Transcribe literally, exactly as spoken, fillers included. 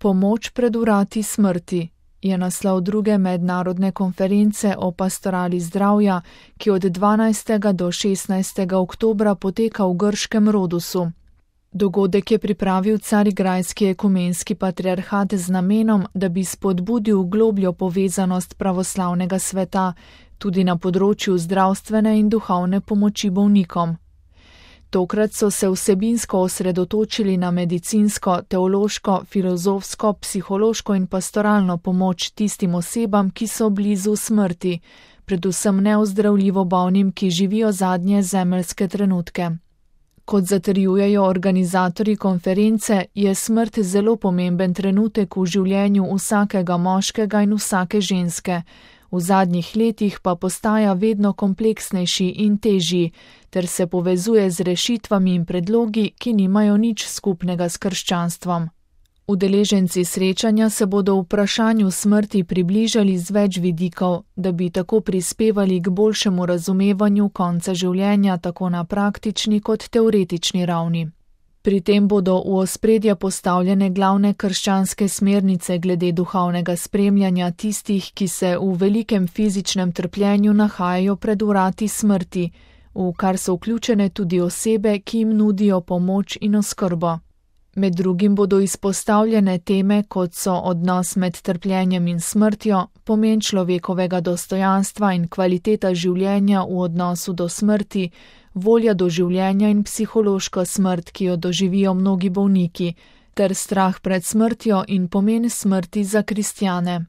Pomoč pred vrati smrti je naslov druge mednarodne konference o pastorali zdravja, ki od dvanajstega do šestnajstega oktobra poteka v grškem Rodusu. Dogodek je pripravil Carigrajski ekumenski patriarhat z namenom, da bi spodbudil globljo povezanost pravoslavnega sveta tudi na področju zdravstvene in duhovne pomoči bolnikom. Tokrat so se vsebinsko osredotočili na medicinsko, teološko, filozofsko, psihološko in pastoralno pomoč tistim osebam, ki so blizu smrti, predvsem neozdravljivo bolnim, ki živijo zadnje zemeljske trenutke. Kot zatrjujejo organizatorji konference, je smrt zelo pomemben trenutek v življenju vsakega moškega in vsake ženske. V zadnjih letih pa postaja vedno kompleksnejši in težji, ter se povezuje z rešitvami in predlogi, ki nimajo nič skupnega s krščanstvom. Udeleženci srečanja se bodo vprašanju smrti približali z več vidikov, da bi tako prispevali k boljšemu razumevanju konca življenja tako na praktični kot teoretični ravni. Pri tem bodo v ospredje postavljene glavne krščanske smernice glede duhovnega spremljanja tistih, ki se v velikem fizičnem trpljenju nahajajo pred vrati smrti, v kar so vključene tudi osebe, ki jim nudijo pomoč in oskrbo. Med drugim bodo izpostavljene teme, kot so odnos med trpljenjem in smrtjo, pomen človekovega dostojanstva in kvaliteta življenja v odnosu do smrti, volja do življenja in psihološka smrt, ki jo doživijo mnogi bolniki, ter strah pred smrtjo in pomen smrti za kristjane.